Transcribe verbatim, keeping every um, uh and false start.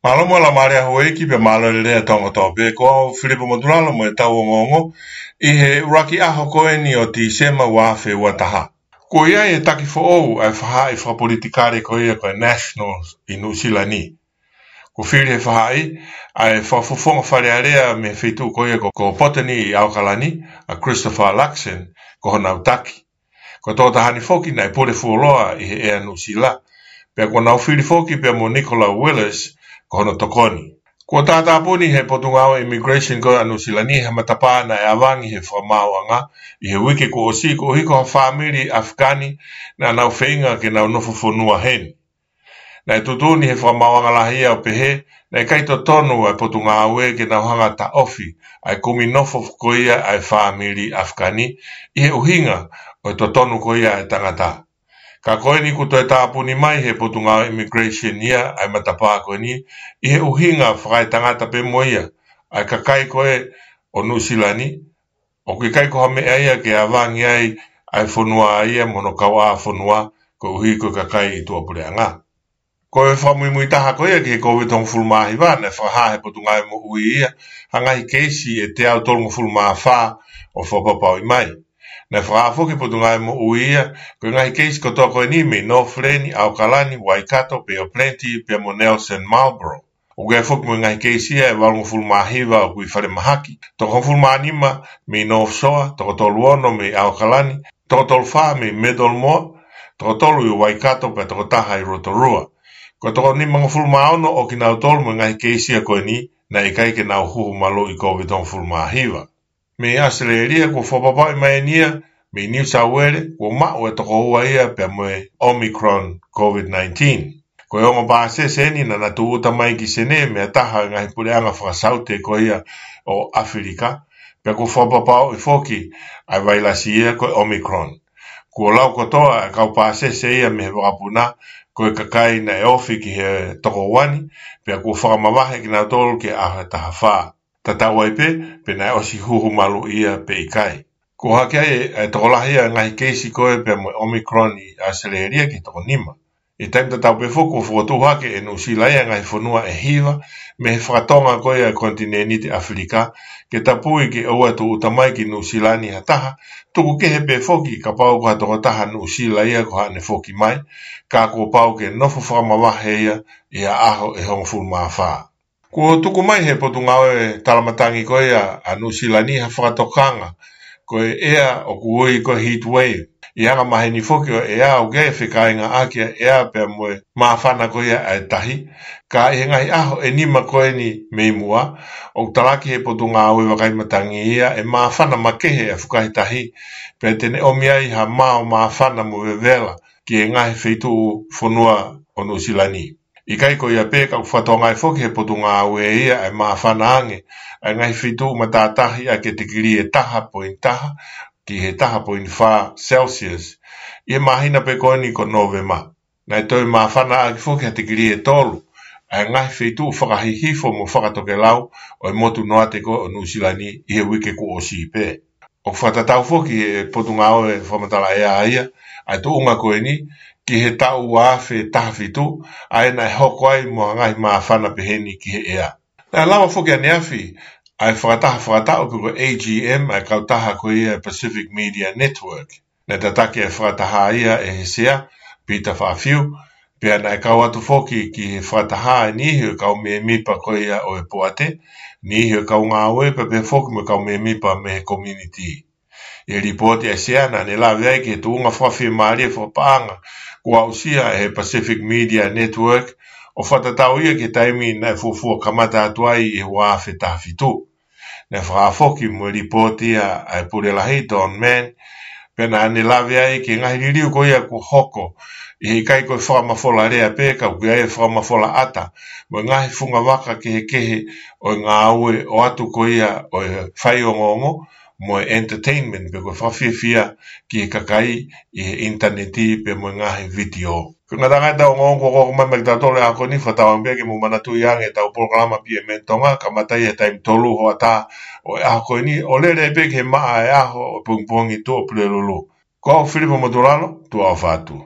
Mālō mo e laumālie ʻa houʻeiki pea mālō e lelei ʻa e Tonga kotoa pē. Ko au Filipo Motulalo mo ʻetau ongoongo ʻi he ʻuluaki ʻaho ko eni ʻo Tīsema ua afe ua taha. Kuo ʻi ai e taki foʻou ʻa e faʻahi fakapolitikale ko ia ko e Nationals ʻi Nuʻusila ni. Kuo fili he faʻahi ʻa e fakafofonga Fale Alea mei he feituʻu ko ia ko, ko Botany ʻi ʻAokalani, ʻa Christopher Luxon ko honau taki. Ko e tokotaha ni foki naʻe pule fuoloa ʻi he ʻea Nuʻusila. Pea kuo nau fili foki pea mo Nicola Willis ko hono tokoni. Kuo tātāpuni he Potungāue Immigration ko ia ʻa Nuʻusila ni ha matapā naʻe ʻavangi he fakamaauʻanga ʻi he uike kuo ʻosi koeʻuhi ko ha fāmili ʻAfekani naʻa nau feinga ke nau nofo fonua heni. Naʻe tuʻutuʻuni he fakamaauʻanga lahi ia ʻo pehē naʻe ʻikai totonu ʻa e Potungāue ke nau hanga ʻo taʻofi ʻa e kumi nofo ko ia ʻa e fāmili ʻAfekani ʻi he ʻuhinga ʻo e totonu ko ia ʻa e tangata. Ka ko eni kuo toe tāpuni mai he Potungāue Immigration ia ʻa e matapā ko eni ʻi he ʻuhinga fakaetangata pē mo ia ʻa e kakai ko ē ʻo Nuʻusila ni, ʻoku ʻikai ko ha meʻa ia ke ʻavangi ai ʻa e fonua ia mo hono kauʻāfonua koeʻuhi ko e kakai ʻi tuʻapuleʻanga. Ko e fakamuimui taha ko ia ki he Kōviti hongofulu mā hiva, naʻe fakahā he Potungāue Moʻui ia ha ngaahi keisi ʻe teau tolungofulu mā fā ʻo fakapapauʻi mai. Naʻe fakahā foki he Potungāue Moʻui ia ko e ngaahi keisi kotoa ko eni mei Northland, ʻAokalani, Waikato, Bay of Plenty pea mo Nelson Marlborough. ʻOku ʻi ai foki mo e ngaahi keisi ia ʻe valungofulu mā hiva ʻoku ʻi falemahaki, toko hongofulu mā nima mei North Shore, toko tolu ono mei ʻAokalani, toko tolu fā mei Middlemore, toko tolu ʻi Waikato pea toko taha ʻi Rotorua. Ko e toko nimangofulu mā ono ʻo kinautolu mo e ngaahi keisi ia ko eni naʻe ʻikai ke nau huhu maluʻi Kōviti hongofulu mā hiva. Mei ʻAositelēlia kuo fakapapauʻi mai eni ia mei New South Wales kuo maʻu e toko ua ia pea mo e Omicron Covid nineteen. Ko e ongo pāsese eni naʻa na tūʻuta mai ki Senē mei ha taha ʻo e ngaahi puleʻanga fakasaute ko ia ʻo ʻAfilika, pea kuo fakapapauʻi foki ʻa e vailasi ia ko e Omicron. Kuo lau kotoa ʻa e kau pāsese ia mei he vakapuna ko e kakai naʻe ofi ki he toko ua ni, pea kuo fakamavahe kinautolu ki he ʻaho ʻe taha fā. Tatau ai pē pe naʻe ʻosi huhu maluʻi ia pe ʻikai. Kuo hake ai e, e tokolahi ʻa e ngaahi keisi ko ē pea mo e Omicron ʻi ʻAositelēlia ki he toko nima. ʻI he taimi tatau pē foki kuo fokotuʻu hake ʻe Nuʻusila ia e ngaahi fonua ʻe hiva mei he fakatonga ko ia e konitinēniti ʻAfilika ke tapui ke ʻoua ʻe tūʻuta mai ki Nuʻusila ni ha taha, tuku kehe pē foki kapau ko ha tokotaha Nuʻusila ia ko haʻane foki mai, ka kuo pau ke nofo fakamavahe ia ʻi ha ʻaho ʻe hongofulu mā fā. Kuo tuku mai he Potungāue Talamatangi ko ia ʻa Nuʻusila ni ha fakatokanga ko e ʻea ʻoku ui ko e heat wave. ʻI he anga maheni foki ʻo e ʻea ʻoku ʻi ai e fekāingaʻaki ʻa e ʻea pea mo e māfana ko ia ʻa e tahi. Ka ʻi he ngaahi ʻaho ʻe nima ko eni mei muʻa, ʻoku talaki he Potungāue Vakai Matangi ia ʻe māfana makehe ʻa e fukahi tahi, pea te ne ʻomi ai ha mao māfana mo vevela ki he ngaahi feituʻu fonua ʻo Nuʻusila ni. ʻIkai ko ia pē ka ʻoku fakatokangaʻi foki he Potungāue ia ʻa e māfana ange ʻa e ngaahi feituʻu matātahi ʻaki e tikilī ʻe taha poini taha ki he taha poini fā Celsius ʻi he māhina pē ko eni ko Nōvema. Naʻe toe māfana ʻaki foki ha tikilī ʻe tolu ʻa e ngaahi feituʻu fakahihifo mo fakatokelau ʻo e motu noate ko ē ʻo Nuʻusila ni ʻi he uike kuo ʻosi pē. ʻOku fakatatau foki he Potungāue Fakamatala ʻEa ia ʻa e tuʻunga ko eni ki he taʻu ua afe taha fitu, ʻa ia naʻe hoko ai mo ha ngaahi māfana peheni ki he ʻea. Naʻe lava foki ʻaneafi ʻa e fakataha fakataʻu pe ko e A G M ʻa e kautaha ko ia e Pacific Media Network. Naʻe tataki e fakataha ia ʻe he Sea, Peter Faʻafiu, pea naʻe kau atu foki ki he fakataha ʻa e niʻihi ʻo e kau mēmipa ko ia ʻo e poate, niʻihi ʻo e kau ngāue, pea pehē foki mo e kau mēmipa mei he community. ʻI he lipooti ʻa e Sea naʻa ne lave ai ki he tuʻunga fakafiemālie fakapaʻanga kuo aʻusia ʻe he Pacific Media Network, ʻo fakatatau ia ki he taimi naʻe fuofua kamata atu ai ʻi he ua afe taha fitu. Naʻe fakahā foki mo e lipooti ia ʻa e Pule Lahi Don Mann, pea naʻa ne lave ai ki he ngaahi liliu ko ia kuo hoko, ʻi he ʻikai ko e fakamafola lea pē ka ʻoku ʻi ai e fakamafola ʻata mo e ngaahi fungavaka kehekehe ʻo e ngāue ʻoatu ko ia ʻo e faiongoongo mo e entertainment pe ko e fakafiefia ki he kakai ʻi he ʻinitaneti pea mo e ngaahi vitiō. Ko e ngataʻanga ʻetau ongoongo kuo hoko mai maʻa kitautolu he ʻaho ko eni, fakatauange pē ke mou manatuʻi ange ʻetau polokalama P M N Tonga, kamata ia he taimi tolu hoʻatā ʻo e ʻaho ko eni, ʻo lele pē ki he maʻa e ʻaho ʻo e pongipongi Tuʻapulelulu. Ko au Filipo Motulalo, tuʻa ʻofa atu.